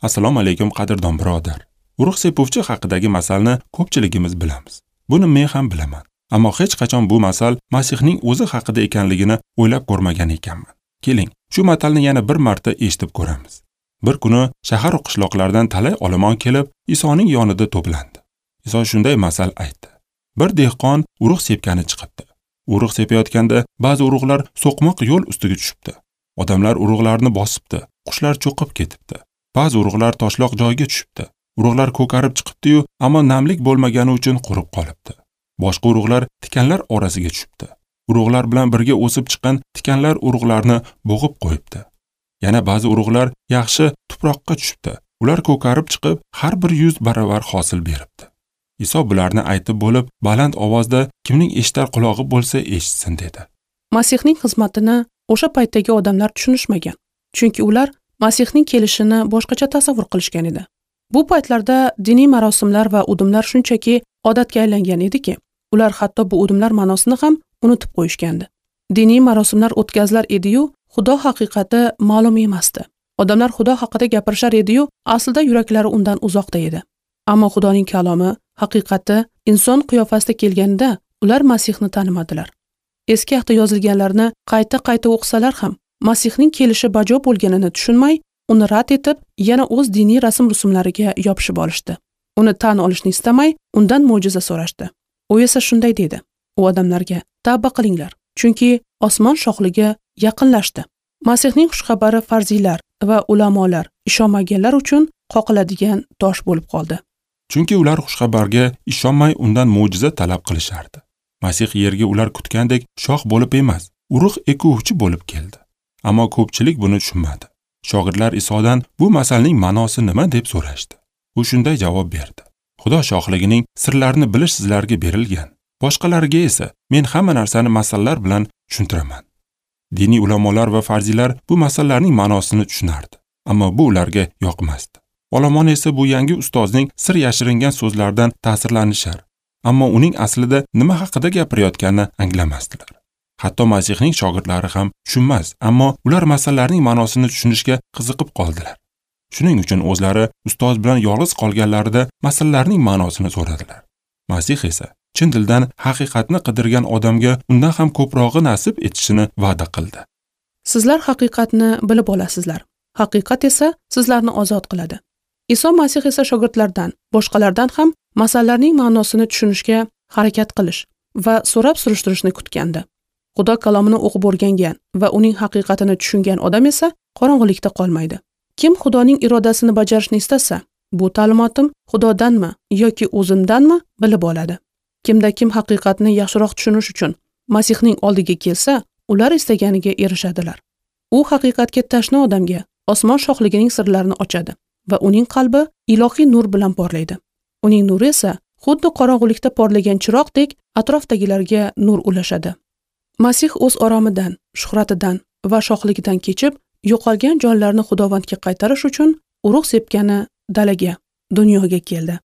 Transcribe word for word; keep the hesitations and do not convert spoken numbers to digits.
Assalomu alaykum qadrdon birodar. Urug' sepuvchi haqidagi masalni ko'pchiligimiz bilamiz. Buni men ham bilaman. Ammo hech qachon bu masal Masihning o'zi haqida ekanligini o'ylab ko'rmagan ekanman. Keling, shu matalni yana bir marta eshitib ko'ramiz. Bir kuni shahar va qishloqlardan talay olomon kelib, Isoning yonida to'plandi. Iso shunday masal aytdi. Bir dehqon urug' sepgani chiqibdi. Urug' sepayotganda ba'zi urug'lar so'qmoq yo'l ustiga tushibdi. Odamlar urug'larni bosibdi, qushlar cho'qib ketibdi. Ba'zi urug'lar toshloq joyga tushibdi. Urug'lar ko'karib chiqibdi-yu, ammo namlik bo'lmagani uchun qurib qolibdi. Boshqa urug'lar tikanlar orasiga tushibdi. Urug'lar bilan birga o'sib chiqqan tikanlar urug'larni bo'g'ib qo'yibdi. Yana ba'zi urug'lar yaxshi tuproqqa tushibdi. Ular ko'karib chiqib, har bir yuz baravar hosil beribdi. Iso bularni aytib bo'lib, baland ovozda kimning eshitar qulog'i bo'lsa eshitsin dedi. Masihning xizmatini o'sha paytdagi odamlar tushunishmagan. Chunki ular Masihning kelishini boshqacha tasavvur qilishgan edi. Bu paytlarda diniy marosimlar va udumlar shunchaki odatga aylangan ediki, ular hatto bu udumlar ma'nosini ham unutib qo'yishgandi. Diniy marosimlar o'tkazilar edi-yu, Xudo haqiqati ma'lum emasdi. Odamlar Xudo haqida gapirishar edi-yu, aslida yuraklari undan uzoqda edi. Ammo Xudoning kalomi, haqiqati inson qiyofasida kelganda ular Masihni tanimadilar. Eski ahdda yozilganlarni qayta-qayta o'qisalar ham Masihning kelishi bajo bo'lganini tushunmay, uni rad etib, yana o'z diniy rasm-rusumlariga yopishib olishdi. Uni tan olishni istamay, undan mo'jiza so'rashdi. U esa shunday dedi: U odamlarga tavba qilinglar, chunki osmon shohligi yaqinlashdi. Masihning xushxabari farziylar va ulamolar ishonmaganlar uchun qoqiladigan tosh bo'lib qoldi. Chunki ular xushxabarga ishonmay undan mo'jiza talab qilishardi. Masih yerga ular kutgandek shoh bo'lib emas, urug' ekuvchi bo'lib keldi. Ammo ko'pchilik buni tushunmadi. Shogirdlar Isodan bu masalning ma'nosi nima deb so'rashdi. U shunday javob berdi: Xudo shohligining sirlarini bilish sizlarga berilgan. Boshqalarga esa men hamma narsani masallar bilan tushuntiraman. Diniy ulamolar va farziylar bu masallarning ma'nosini tushunardi, ammo bu ularga yoqmasdi. Olomon esa bu yangi ustozning sir yashiringan so'zlaridan ta'sirlanishar, ammo uning aslida nima haqida gapirayotganini anglamasdilar. Hatto Masihning shogirdlari ham tushunmas, ammo ular masallarning ma'nosini tushunishga qiziqib qoldilar. Shuning uchun o'zlari ustoz bilan yolg'iz qolganlarida masallarning ma'nosini so'radilar. Masih esa chin dildan haqiqatni qidirgan odamga undan ham ko'prog'i nasib etishini va'da qildi. Sizlar haqiqatni bilib olasizlar. Haqiqat esa sizlarni ozod qiladi. Iso Masih esa shogirdlardan, boshqalardan ham masallarning ma'nosini tushunishga harakat qilish va so'rab surishtirishni kutgandi. Xudo kalomini o'qib o'rgangan va uning haqiqatini tushungan odam esa qorong'ulikda qolmaydi. Kim Xudoning irodasini bajarishni istasa, bu ta'limotim Xudodanmi yoki o'zimdanmi bilib oladi. Kimda kim haqiqatni yaxshiroq tushunish uchun Masihning oldiga kelsa, ular istaganiga erishadilar. U haqiqatga tashna odamga osmon shohligining sirlarini ochadi va uning qalbi ilohiy nur bilan porlaydi. Uning nuri esa xuddi qorong'ulikda porlagan chiroqdek atrofdagilarga nur ulashadi. Masih o'z oromidan, shuhratidan va shohligidan kechib, yo'qolgan jonlarni Xudovandga qaytarish uchun urug' sepgani dalaga, dunyoga keldi.